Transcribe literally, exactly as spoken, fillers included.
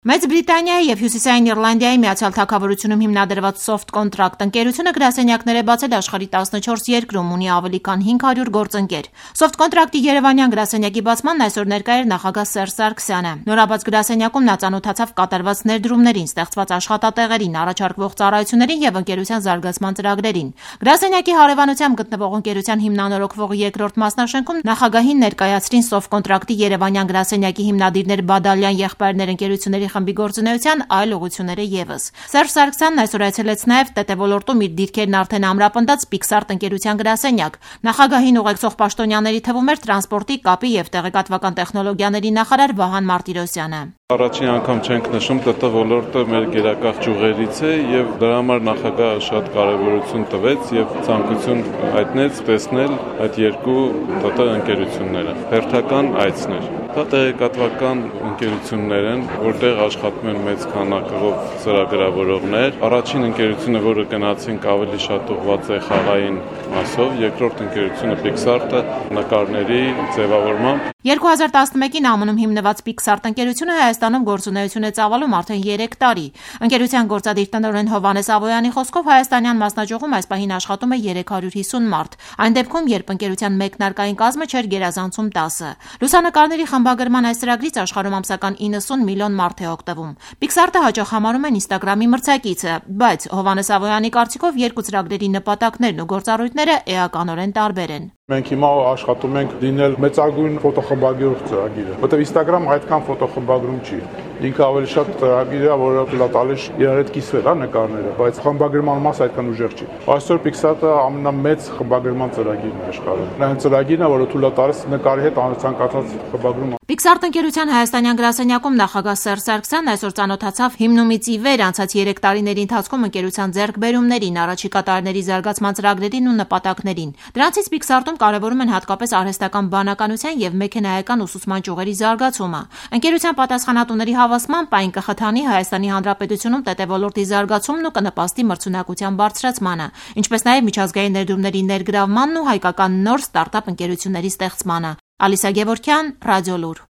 Մեծ Բրիտանիայի և Հյուսիսային Իռլանդիայի Միացյալ Թագավորությունում հիմնադրված Soft Contract ընկերությունը գրասենյակներ է բացել աշխարհի տասնչորս երկրում, ունի ավելի քան հինգ հարյուր գործընկեր։ Soft Contract-ի երևանյան գրասենյակի բացմանն այսօր ներկա էր նախագահ Սերժ Սարգսյանը։ Նորաբաց գրասենյակում նա ծանոթացավ կատարված ներդրումներին, ստեղծված աշխատատեղերին, առաջարկվող ծառայություններին և ընկերության զարգացման ծրագրերին։ Գրասենյակի հարևանությամբ գտնվող ընկերության հիմնանորոգվող երկրորդ մասնաշենքում նախագահին ներկայացրին Soft Contract-ի երևանյան գրասենյակի հիմնադիրներ Բադալյան եղբայրներ ընկերությունների խմբի գործունեության այլ ուղղությունները ևս։ Սերժ Սարգսյանն այսօր այցելեց նաև ՏՏ ոլորտում իր դիրքերն արդեն ամրապնդած Pixart ընկերության գրասենյակ։ Նախագահին ուղեկցող պաշտոնյաների թվում էր տրանսպորտի, կապի և տեղեկատվական տեխնոլոգիաների նախարար Վահան Մարտիրոսյանը։ Առաջին անգամ չենք նշում ՏՏ ոլորտը մեր գերակա ճյուղերից է եւ դրա համար նախագահը շատ կարեւորություն տվեց եւ ցանկություն հայտնեց տեսնել այդ երկու ՏՏ ընկերությունները։ Հերթական այցներ։ Դա տեղեկատվական ընկերություններ են, որտեղ աշխատում են մեծ քանակով ծրագրավորողներ։ Առաջին ընկերությունը, որը գնացինք, ավելի շատ ուղղված է խաղային մասով, երկրորդ ընկերությունը Pixart-ը նկարների ձևավորմամբ։ երկու հազար տասնմեկին ԱՄՆ-ում հիմնված Pixart ընկերությունը Հայաստանում գործունեություն է ծավալում արդեն երեք տարի։ Ընկերության գործադիր տնօրեն Հովհաննես Ավոյանի խոսքով հայաստանյան մասնաճյուղում այս պահին աշխատում է երեք հարյուր հիսուն մարդ, այն դեպքում, երբ ընկերության մեկնարկային կազմը չէր գերազանցում տասը։ Լուսանկարների խմբագրման այս ծրագրից աշխարհում ամսական իննսուն միլիոն մարդ է օգտվում։ Pixart-ը հաճախ համարում են Instagram-ի մրցակիցը, բայց Հովհաննես Ավոյանի կարծիքով երկու ծրագրերի նպատակներն ու գործառույթները էականորեն տարբեր են։ Մենք հիմա աշխատում ենք լինել մեծագույն ֆոտոխմբագրող ծրագիրը, որտեղ Instagram-ը այդքան ֆոտոխմբագրում չի։ Ինքը ավելի շատ ծրագիր է, որը թույլ է տալիս իրար հետ կիսվել, հա, նկարները, բայց խմբագրման մասը այդքան ուժեղ չի։ Այսօր Pixart-ը ամենամեծ խմբագրման ծրագիրն է աշխարհում։ Նա այն ծրագիրն է, որը թույլ է տալիս նկարի հետ ցանկացած խմբագրում։ Pixart ընկերության հայաստանյան գրասենյակում նախագահ Սերժ Սարգսյանն այսօր ծանոթացավ հիմնումից ի վեր անցած երեք տարիների ընթացքում ընկերության ձեռքբերումներին, առաջիկա տարիների զարգացման ծրագրերին ու նպատակներին։ Դրանցից Pixart-ում կարևորում են հատկապես արհեստական բանականության և մեքենայական ուսուցման ճյուղերի զարգացումը։ Ընկերության պատասխանատուների հավաստմամբ այն կխթանի Հայաստանի Հանրապետությունում ՏՏ ոլորտի զարգացումն ու կնպաստի մրցունակության բարձրացմանը, ինչպես նաև միջազգային ներդրումների ներգրավմանն ու հայկական նոր ստարտափ ընկերությունների ստեղծմանը։ Ալիսա Գևորգյան, Ռադիոլուր։